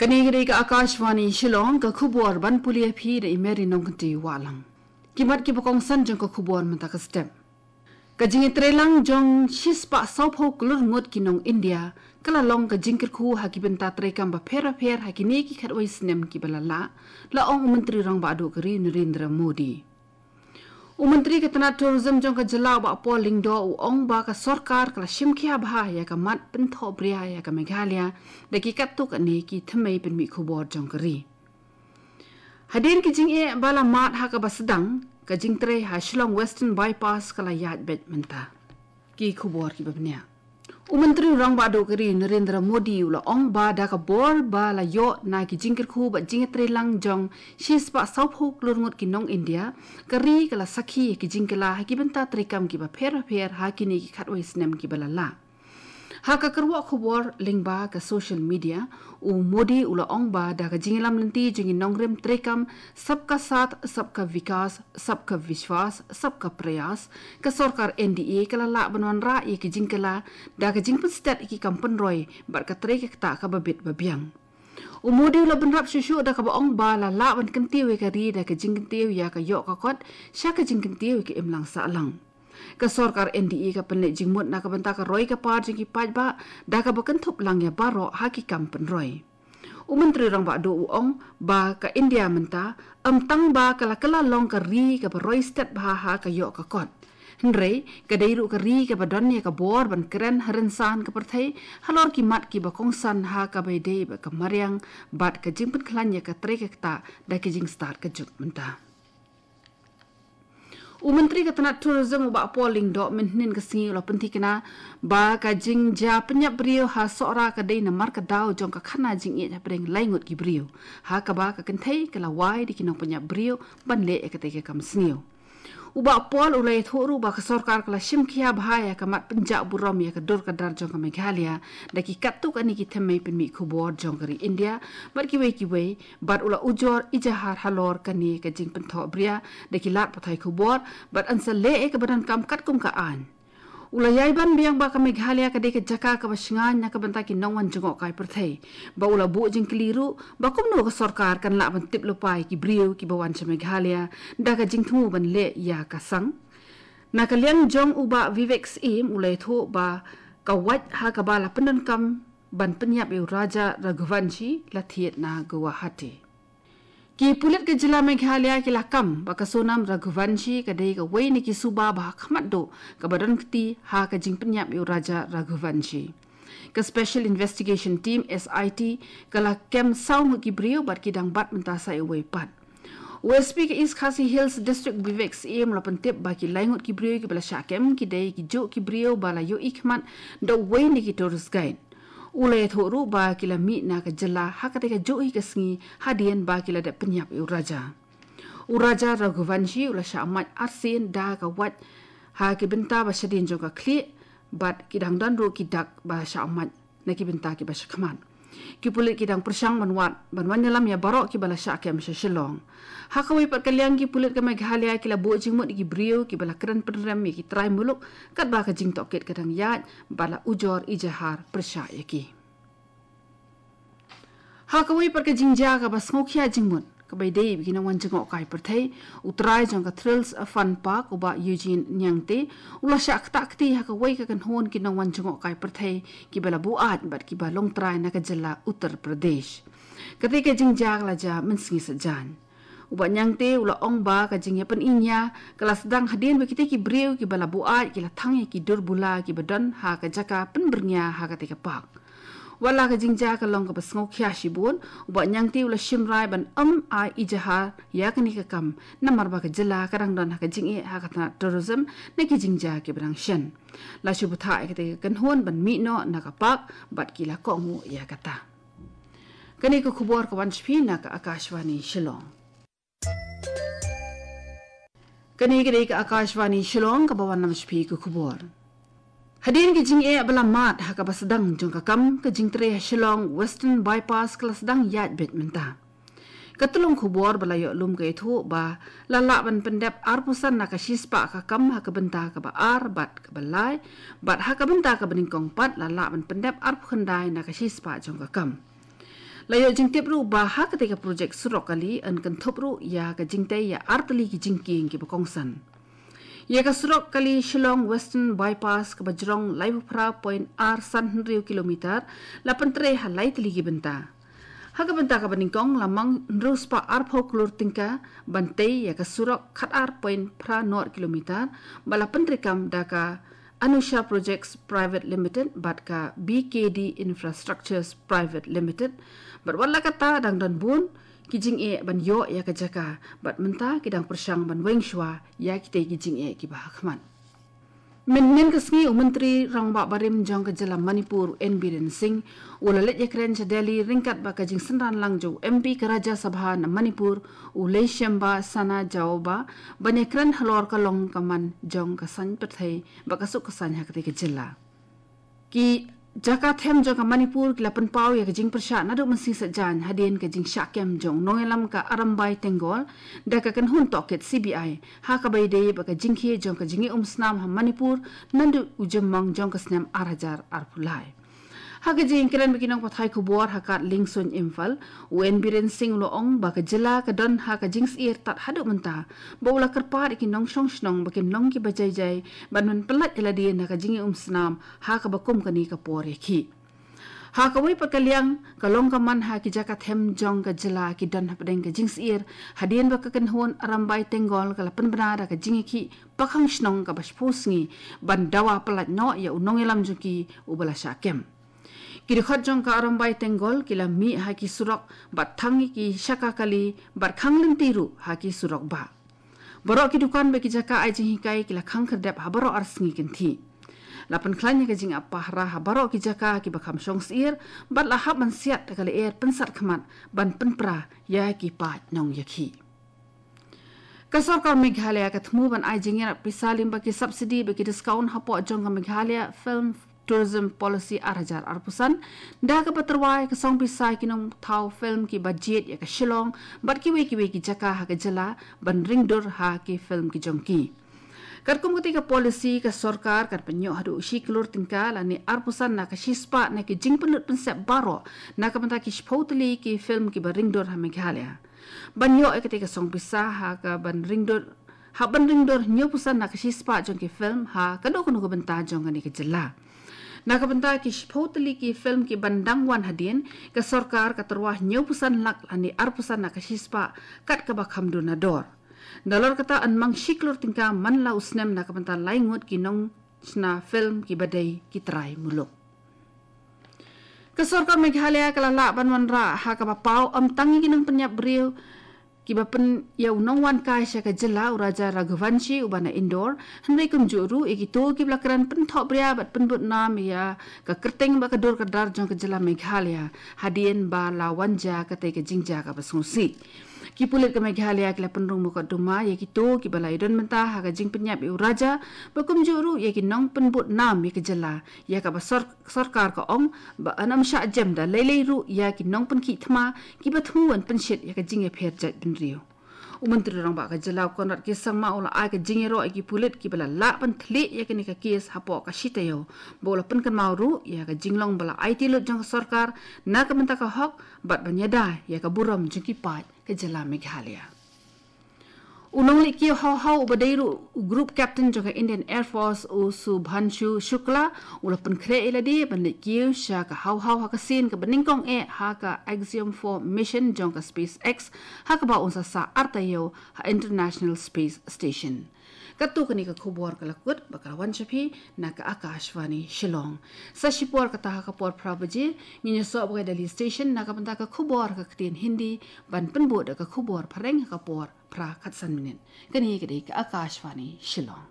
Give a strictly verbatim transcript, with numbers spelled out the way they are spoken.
Kane ka dei ka Akashvani Shillong, ka khubor ban pule ïa phi da i Mary Nongkynti Wahlang. Ki mat kiba kongsan jong ka khubor mynta ka step. Ka jingïatreilang jong shispah sawphew klur ngut ki nong India ka la long ka jingkyrkhu ha ki bynta treikam bapher bapher ha kine ki khatwei snem kiba la lah, la ong u Myntri Rangbah Duh ka ri Narendra Modi. U Myntri ka tnat Tourism jong ka jylla u Bah Paul Lyngdoh u ong ba ka sorkar ka la shim khia bha ïa ka mat pynthohbria ïa ka Meghalaya da ki katto katne ki thymmei pynmih khubor jong ka ri. Hadien ki jingeh ba la mad ha kaba sdang, ka jingtrei ha Shillong Western Bypass ka la ïaid beit mynta. Ki khubor kiba bniah. U Myntri Rangbah Duh ka ri Narendra Modi u la ong ba da ka bor ba la ïoh na ki jingkyrkhu bad jingïatreilang jong shispah sawphew klur ngut ki nong India, ka ri ka la sakhi ïa ki jingkylla ha ki bynta treikam kiba pher bapher ha kine ki khatwei snem kiba la lah. Ha ka kyrwoh khubor lyngba ka social media, u Modi u la ong ba da ka jingïalam lynti jong ki nongrim treikam Sabka Saath, Sabka Vikas, Sabka Vishwas, Sabka Prayas, ka sorkar N D A ka la lah ban wanrah ïa ki jingkylla da ka jingpynstet ïa ki kam pynroi bad ka trei ka ktah kaba bit ba biang. U Modi u la bynrap shuh shuh da kaba ong ba la lah ban kyntiew ïa ka ri da ka jingkyntiew ïa ka ïoh ka kot sha ka jingkyntiew ïa ka imlang sahlang. Ka sorkar N D A ka pynleit jingmut na ka bynta ka roi ka par jong ki paidbah da kaba kynthup lang ïa baroh ha ki kam pynroi. U Myntri Rangbah Duh u ong ba ka India mynta ym tang ba ka la kylla long ka ri kaba roi stet bha ha ka ïoh ka kot, hynrei ka dei ruh ka ri kaba don ïa ka bor ban kren ha rynsan ka pyrthei halor ki mat kiba kongsan ha kaba ïadei bad ka mariang bad ka jingpynkhlaiñ ïa ka trei ka ktah da ka jingstad ka juk mynta. U Myntri ka tnat Tourism u Bah Paul Lyngdoh mynhynnin ka sngi u la pynthikna ba ka jingjia pynïap briew ha Sohra ka dei namar ka daw jong ka khana jingïeit hapdeng lai ngut ki briew, ha kaba ka kynthei ka la wai da ki nongpynïap briew ban leh ïa katei ka kam sniew. U Bah Paul u la ïathuh ruh ba ka sorkar ka la shim khia bha ïa ka mat pynjah burom ïa ka dur ka dar jong ka Meghalaya da ki katto katne ki thymmei pynmih khubor jong ka ri India bad kiwei kiwei, bad u la ujor ijahar halor kane ka jingpynthohbria da ki lad pathai khubor bad yn sa leh ïa kaba donkam katkum ka aiñ. U la ïai ban biang ba ka Meghalaya ka dei ka jaka kaba shngaiñ na ka bynta ki nongwan jngohkai pyrthei, ba u la buh jingkylli ruh ba kumno ka sorkar kan lah ban tip lypa ïa ki briew kiba wan sha Meghalaya da ka jingthmu ban leh ïa ka sang. Na ka liang jong u Bah Vivek Syiem u la ïathuh ba ka wait ha kaba la pyndonkam ban pynïap ïa u Raja Raghuvanshi la thied na Guwahati. Ki pulit ka jylla Meghalaya ki la kam ba ka Sonam Raghuvanshi ka dei kawei na ki suba ba ha khmat duh kaba don kti ha ka jingpynïap ïa u Raja Raghuvanshi. Ka Special Investigation Team, S I T, ka la kem saw ngut ki briew bad ki dang bat mynta sa iwei pat. U S P ka East Khasi Hills District Vivek Syiem u la pyntip ba ki lai ngut ki briew kiba la shah kem ki dei ki juh ki briew ba la ïohi khmat da uwei na ki tourist guide. U la ïathuh ruh ba ki la mih na ka jylla ha katei ka juh hi ka sngi hadien ba ki la dep pynïap ïa u Raja. U Raja Raghuvanshi u la shah mait arsien da ka wait ha ki bynta ba shadien jong ka khlieh bad ki dang don ruh ki dak ba shah mait na ki bynta kiba shakhmat. Ki pulit ki dang pyrshang ban wad ban wan ïalam ïa baroh kiba la shah kem sha Shillong. Ha kawei pat ka liang ki pulit ka Meghalaya ki la buh jingmut ïa ki briew kiba la kren pynrem ïa ki trai muluk katba ka jingtohkit ka dang ïaid bad la ujor ijahar pyrshah ïa ki. Ha kawei pat ka jingjia kaba sngewkhia jingmut kaba ïadei bad ki nongwan jngohkai pyrthei, u trai jong ka Thrills Fun Park u Bah Eugene Niangte u la shah ktah kti ha kawei ka kynhun ki nongwan jngohkai pyrthei kiba la buaid bad kiba long trai na ka jylla Uttar Pradesh. Katei ka jingjia ka la jia mynsngi saitjaiñ. U Bah Niangte u la ong ba ka jingïapyniñia ka la sdang hadien ba kitei ki briew kiba la buaid ki la thang ïa ki dur bula kiba don ha ka jaka pynbyrngia ha katei ka park. Wat la ka jingjia ka long kaba sngewkhia shibun, u Bah Niangte u la shim rai ban ym ai ijahar ïa kane ka kam namar ba ka jylla ka dang don ha ka jingeh ha ka tnat tourism na ki jingjia kiba dang shen. La shu bthah ïa katei ka kynhun ban mih noh na ka park bad ki la kohnguh ïa kata. Kane ka khubor ka wan sha phi na ka Akashvani Shillong. Kane ka dei ka Akashvani Shillong kaba wanlam sha phi ka khubor. Hadien ka jingeh ba la mad ha kaba sdang jong ka kam, ka jingtrei ha Shillong Western Bypass ka la sdang ïaid beit mynta. Ka tlung khubor ba la ïoh lum ka ïathuh ba la lah ban pyndep arphew san na ka shispah ka kam ha ka bynta kaba ar bad kaba lai, bad ha ka bynta kaba nyngkong pat la lah ban pyndep arphew khyndai na ka shispah jong ka kam. La ïoh jingtip ruh ba ha katei ka projek surok kali yn kynthup ruh ïa ka jingtei ïa ar tylli ki jingkieng kiba kongsan. Ïa ka surok kali Shillong Western Bypass kaba jrong laiphew phra point ar san hynriew kilometer la pyntrei ha lai tylli ki bynta. Ha ka bynta kaba nyngkong la mang hynriew spah arphew klur tyngka ban tei ïa ka surok khatar point phra nod kilometer ba la pyntreikam da ka Anusha Projects Private Limited bad ka B K D Infrastructures Private Limited, bad wat la katta dang don bun ki jingeh ban ïoh ïa ka jaka, bad mynta ki dang pyrshang ban weng shuwa ïa kitei ki jingeh kiba ha khmat. Mynhynnin ka sngi u Myntri Rangbah Barim jong ka jylla Manipur, N Biren Singh, u la leit ïakren sha Delhi ryngkat bad ka jingsynran lang jong u M P ka Rajya Sabha na Manipur, u Leishemba Sanajaoba, ban ïakren halor ka long ka man jong ka saiñ pyrthei bad ka suk ka saiñ ha katei ka jylla. Ki jaka them jong ka Manipur ki la pynpaw ïa ka jingpyrshah naduh mynsiem saitjaiñ hadien ka jingshah kem jong u nongïalam ka Arambai Tenggol da ka kynhun tohkit C B I ha kaba ïadei bad ka jingkhie jong ka jingïaumsnam ha Manipur naduh u jymmang jong ka snem ar hajar arphew lai. Ha ka jingkren bad ki nongpathai khubor ha Kad Lyngsuin Imphal, u N Biren Singh u la ong ba ka jylla ka don ha ka jingsyier tad haduh mynta, ba u la kyrpad ïa ki nongshong shnong ba kin long kiba jai jai ban pynlait ïa lade na ka jingïaumsnam ha kaba kum kane ka por ïakhih. Ha kawei pat ka liang, ka long ka man ha ki jaka them jong ka jylla ki don hapdeng ka jingsyier hadien ba ka kynhun Arambai Tenggol ka la pynbna da ka jingïakhih pakhang shnong kaba shiphew sngi ban dawa pyllait noh ïa u nongïalam jong ki uba la shah kem. Ki dkhot jong ka Arambai Tenggol ki la mih ha ki surok bad thang ïa ki shaka kali bad khang lynti ruh ha ki surok bah. Baroh ki dukan bad ki jaka ai jinghikai ki la khang khyrdep ha baroh ar sngi kynthih. La pynkhlaiñ ïa ka jingap pahara ha baroh ki jaka kiba kham shong syier bad la hap ban siat da ka lyer pynsat khmat ban pynpra ïa ki paid nongïakhih. Ka sorkar Meghalaya ka thmu ban ai jingïarap pisa lyngba ki subsidy bad ki discount hapoh jong ka Meghalaya Film Tourism Policy ar hajar arphew san, da kaba tyrwa ïa ka song pisa ki nongthaw film kiba jied ïa ka Shillong bad kiwei kiwei ki jaka ha ka jylla ban ring dur ha ki film ki jong ki. Katkum katei ka policy, ka sorkar kan pynïoh haduh shi klur tyngka lane arphew san na ka shispah na ki jingpynlut pynsep baroh na ka bynta ki shiphew tylli ki film kiba ring dur ha Meghalaya. Ban ïoh ïa katei ka song pisa ha ka ban ring dur, ha ban ring dur hynñiewphew san na ka shispah jong ki film ha kano kano ka bynta jong kane ka jylla. Na ka bynta ki shiphew tylli ki film kiban dang wan hadien, ka sorkar ka tyrwa hynñiewphew san lak lane arphew san na ka shispah kat kaba kham dur na dor. Nalor kata yn mang shi klur tyngka man la u snem na ka bynta lai ngut ki nongshna film kiba dei ki trai muluk. Ka sorkar Meghalaya ka la lah ban wanrah ha kaba paw ym tang ïa ki nongpynïap briew kiba pyn ïa u nongwan kai sha ka jylla u Raja Raghuvanshi uba na Indore, hynrei kumjuh ruh ïa kito kiba la kren pynthohbria bad pynbud nam ïa ka kyrteng bad ka dur ka dar jong ka jylla Meghalaya hadien ba la wan jia katei ka jingjia kaba sngewsih. Ki pulit ka Meghalaya ki la pynrung mukotduma ïa kito kiba la ïadon bynta ha ka jingpynïap ïa u Raja, bad kumjuh ruh ïa ki nongpynbud nam ïa ka jylla, ïa kaba sor-, sorkar ka ong ba yn ym shah jem da lei lei ruh ïa ki nongpynkhih thma kiba thmu ban pynshit ïa ka jingïapher jaitbynriew. U Myntri Rangbah ka jylla u Conrad K Sangma u la ai ka jingïaroh ïa ki pulit kiba la lah ban thylliej ïa kane ka kes hapoh ka shi taïew, bad u la pynkynmaw ruh ïa ka jinglong ba la aiti lut jong ka sorkar na ka bynta ka hok bad ban ïada ïa ka burom jong ki paid ka jylla Meghalaya. U nongleit kiew haw haw uba dei ruh u Group Captain jong ka Indian Air Force u Subhanshu Shukla u la pynkhreh ïa lade ban leit kiew sha ka haw haw ha ka sien kaba nyngkong eh ha ka Axiom four mission jong ka SpaceX, ha kaba un sa sah ar taïew ha International Space Station. Katto katne ka khubor ka la kut bad ka la wan sha phi na ka Akashvani Shillong. Sa shipor kata ha ka por phra baje ngin ïasoh bad ka Delhi Station na ka bynta ka khubor ha ka ktien Hindi, ban pynbud da ka khubor phareng ha ka por phra khatsan minit. Kane ka dei ka Akashvani Shillong.